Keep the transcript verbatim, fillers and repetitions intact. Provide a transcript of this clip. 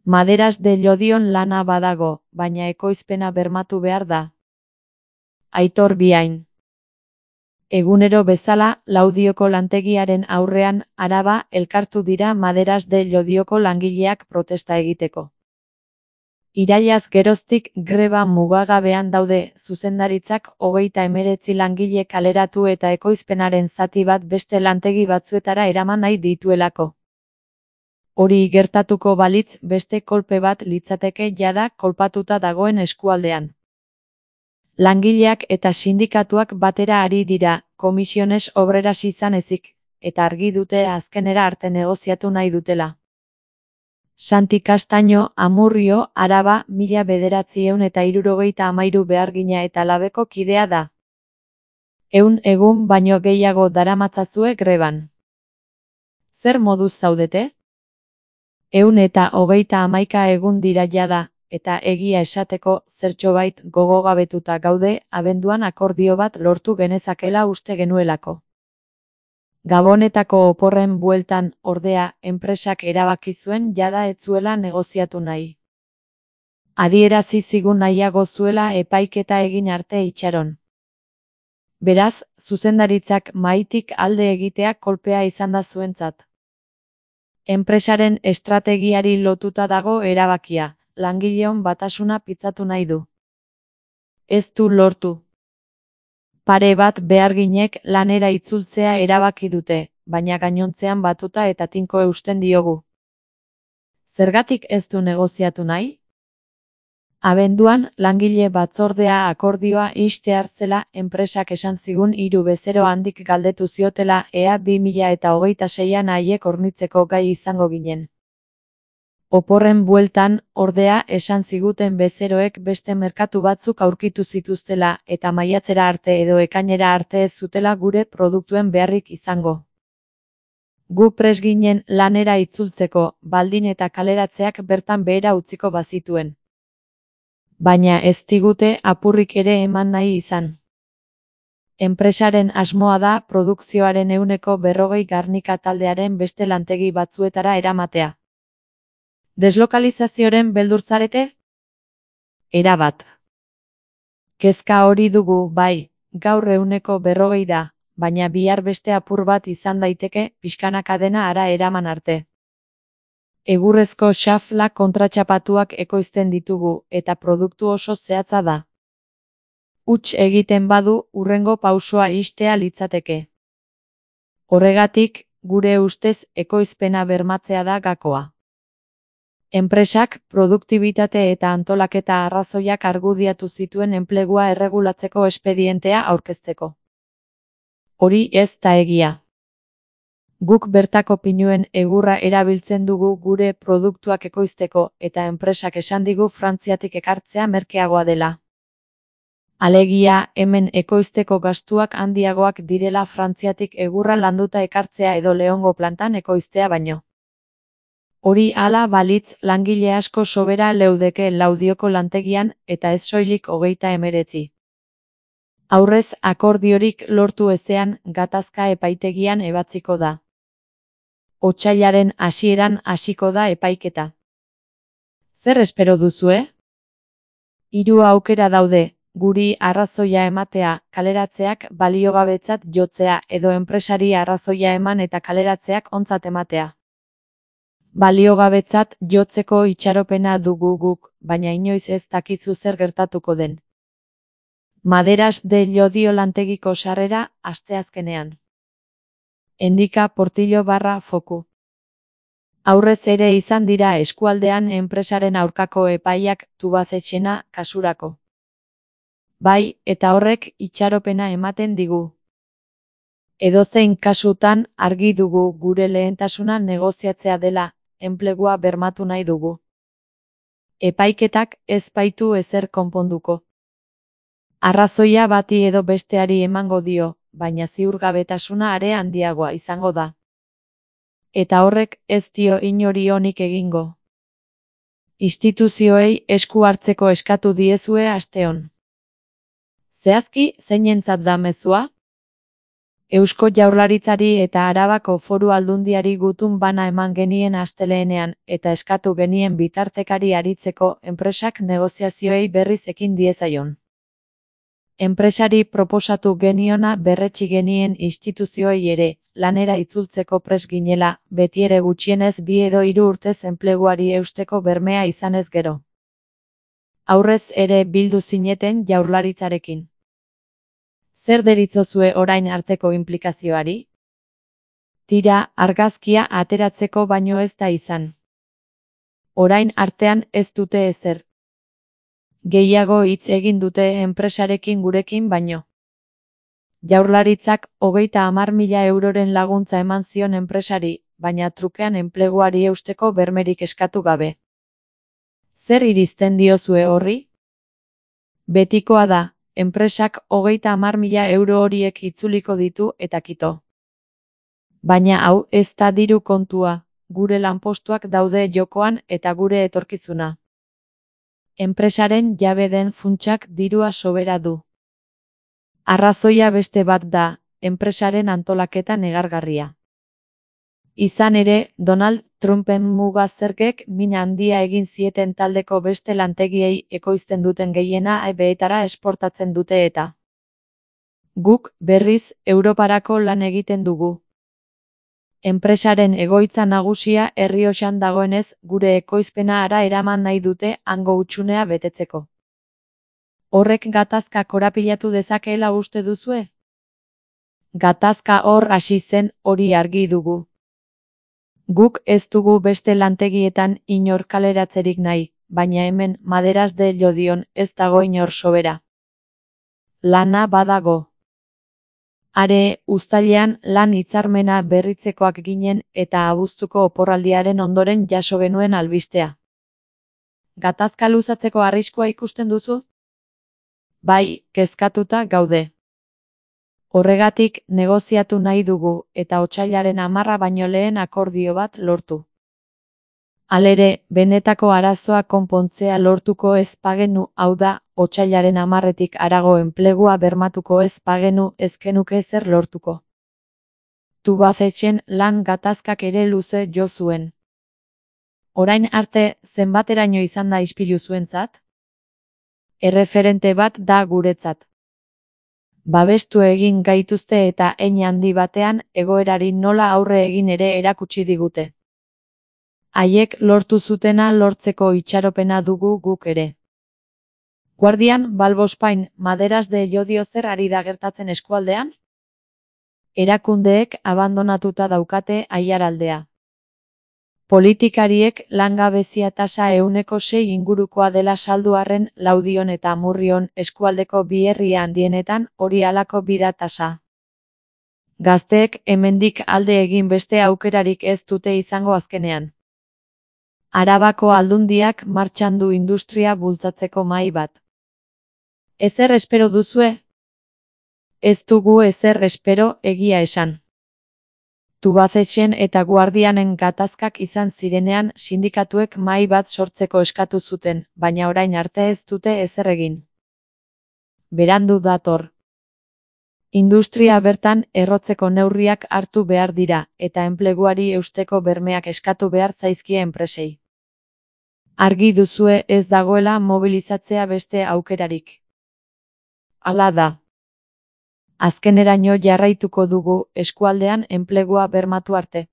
Maderas de Llodion lana badago, baina ekoizpena bermatu behar da. Aitor Biain. Egunero bezala, Laudioko lantegiaren aurrean, Araba, elkartu dira Maderas de Llodioko langileak protesta egiteko. Irailaz geroztik greba mugagabean daude, zuzendaritzak hogeita hemeretzi langile kaleratu eta ekoizpenaren zati bat beste lantegi batzuetara eraman nahi dituelako. Hori gertatuko balitz beste kolpe bat litzateke jada kolpatuta dagoen eskualdean. Langileak eta sindikatuak batera ari dira, komisiones obreras izan ezik, eta argi dute azkenera arte negoziatu nahi dutela. Santi Castaño, Amurrio, Araba, mila bederatziehun eta hirurogeita hamairu behargina eta labeko kidea da. Ehun egun baino gehiago daramatzazue greban. Zer moduz zaudete? Ehun eta hogeita hamaika egun dira jada, eta egia esateko zertxobait gogogabetuta gaude, abenduan akordio bat lortu genezakela uste genuelako. Gabonetako oporren bueltan, ordea, enpresak erabaki zuen jada ez zuela negoziatu nahi. Adierazi zigun nahiago zuela epaiketa egin arte itxaron. Beraz, zuzendaritzak mahaitik alde egitea kolpea izan da zuentzat. Enpresaren estrategiari lotuta dago erabakia, langileon batasuna pitzatu nahi du. Ez du lortu. Pare bat beharginek lanera itzultzea erabaki dute, baina gainontzean batuta eta tinko eusten diogu. Zergatik ez du negoziatu nahi? Abenduan, langile batzordea akordioa ixtear zela enpresak esan zigun hiru bezero handik galdetu ziotela ea bi mila eta hogeita seian haiek hornitzeko gai izango ginen. Oporren bueltan, ordea, esan ziguten bezeroek beste merkatu batzuk aurkitu zituztela eta maiatzera arte edo ekainera arte ez zutela gure produktuen beharrik izango. Gu prest ginen lanera itzultzeko, baldin eta kaleratzeak bertan behera utziko bazituen. Baina ez digute apurrik ere eman nahi izan. Enpresaren asmoa da produkzioaren ehuneko berrogei Garnika taldearen beste lantegi batzuetara eramatea. Deslokalizazioren beldurzarete? Erabat. Kezka hori dugu, bai, gaur ehuneko berrogei da, baina bihar beste apur bat izan daiteke, pixkanaka dena ara eraman arte. Egurrezko xafla kontratxapatuak ekoizten ditugu, eta produktu oso zehatza da. Huts egiten badu, hurrengo pausoa ixtea litzateke. Horregatik, gure ustez ekoizpena bermatzea da gakoa. Enpresak, produktibitate eta antolaketa arrazoiak argudiatu zituen enplegua erregulatzeko espedientea aurkezteko. Hori ez da egia. Guk bertako pinuen egurra erabiltzen dugu gure produktuak ekoizteko eta enpresak esan digu Frantziatik ekartzea merkeagoa dela. Alegia, hemen ekoizteko gastuak handiagoak direla Frantziatik egurra landuta ekartzea edo Leongo plantan ekoiztea baino. Hori hala balitz langile asko sobera leudeke Laudioko lantegian eta ez soilik hogeita hemeretzi. Aurrez akordiorik lortu ezean gatazka epaitegian ebatziko da. Otsailaren hasieran hasiko da epaiketa. Zer espero duzue? Hiru aukera daude, guri arrazoia ematea, kaleratzeak baliogabetzat jotzea edo enpresari arrazoia eman eta kaleratzeak ontzat ematea. Baliogabetzat jotzeko itxaropena dugu guk, baina inoiz ez dakizu zer gertatuko den. Maderas de Llodio lantegiko sarrera, asteazkenean. Endika Portillo barra foku. Aurrez ere izan dira eskualdean enpresaren aurkako epaiak Tubazetxena kasurako. Bai, eta horrek itxaropena ematen digu. Edozein kasutan argi dugu gure lehentasuna negoziatzea dela, enplegua bermatu nahi dugu. Epaiketak ez baitu ezer konponduko. Arrazoia bati edo besteari emango dio, baina ziurgabetasuna are handiagoa izango da. Eta horrek ez dio inori onik egingo. Instituzioei esku hartzeko eskatu diezue asteon. Zehazki, zeinentzat da mezua? Eusko Jaurlaritzari eta Arabako Foru Aldundiari gutun bana eman genien astelehenean eta eskatu genien bitartekari aritzeko enpresak negoziazioei berriz ekin diezaion. Enpresari proposatu geniona berretsi genien instituzioei ere, lanera itzultzeko prest ginela, betiere gutxienez bi edo hiru urtez enpleguari eusteko bermea izanez gero. Aurrez ere bildu zineten Jaurlaritzarekin. Zer deritzozue orain arteko inplikazioari? Tira, argazkia ateratzeko baino ez da izan. Orain artean ez dute ezer. Gehiago hitz egin dute enpresarekin gurekin baino. Jaurlaritzak hogeita hamar mila euroren laguntza eman zion enpresari, baina trukean enpleguari eusteko bermerik eskatu gabe. Zer irizten diozue horri? Betikoa da. Enpresak hogeita hamar mila euro horiek itzuliko ditu eta kito. Baina hau ez da diru kontua, gure lanpostuak daude jokoan eta gure etorkizuna. Enpresaren jabe den funtsak dirua sobera du. Arrazoia beste bat da, enpresaren antolaketa negargarria. Izan ere, Donald Trumpen muga zergek min handia egin zieten taldeko beste lantegiei ekoizten duten gehiena ebeetara esportatzen dute eta. Guk, berriz, Europarako lan egiten dugu. Enpresaren egoitza nagusia Errioxan dagoenez, gure ekoizpena hara eraman nahi dute hango hutsunea betetzeko. Horrek gatazka korapilatu dezakeela uste duzue? Gatazka hor hasi zen, hori argi dugu. Guk ez dugu beste lantegietan inor kaleratzerik nahi, baina hemen Maderas de Llodion ez dago inor sobera. Lana badago. Are, uztailean lan hitzarmena berritzekoak ginen eta abuztuko oporraldiaren ondoren jaso genuen albistea. Gatazka luzatzeko arriskua ikusten duzu? Bai, kezkatuta gaude. Horregatik negoziatu nahi dugu eta otsailaren hamarra baino lehen akordio bat lortu. Halere, benetako arazoa konpontzea lortuko ez bagenu, hau da, otsailaren hamarretik harago enplegua bermatuko ez bagenu ez genuke zer lortuko. Tubacexen lan gatazkak ere luze jo zuen. Orain arte, zenbateraino izan da ispilu zuentzat? Erreferente bat da guretzat. Babestu egin gaituzte eta hein handi batean egoerari nola aurre egin ere erakutsi digute. Haiek lortu zutena lortzeko itxaropena dugu guk ere. Guardian, Balbospain, Maderas de Llodio zer ari da gertatzen eskualdean? Erakundeek abandonatuta daukate aiaraldea. Politikariek langabezia tasa ehuneko sei ingurukoa dela saldu arren Laudion eta Amurrion eskualdeko bi herri handienetan hori halako bida tasa. Gazteek hemendik alde egin beste aukerarik ez dute izango azkenean. Arabako Aldundiak martxan du industria bultzatzeko mahai bat. Ezer espero duzue? Ez dugu ezer espero, egia esan. Tubacexen eta Guardianen gatazkak izan zirenean sindikatuek mahai bat sortzeko eskatu zuten, baina orain arte ez dute ezer egin. Berandu dator. Industria bertan errotzeko neurriak hartu behar dira, eta enpleguari eusteko bermeak eskatu behar zaizkie enpresei. Argi duzue ez dagoela mobilizatzea beste aukerarik. Hala da. Azkeneraino jarraituko dugu eskualdean enplegua bermatu arte.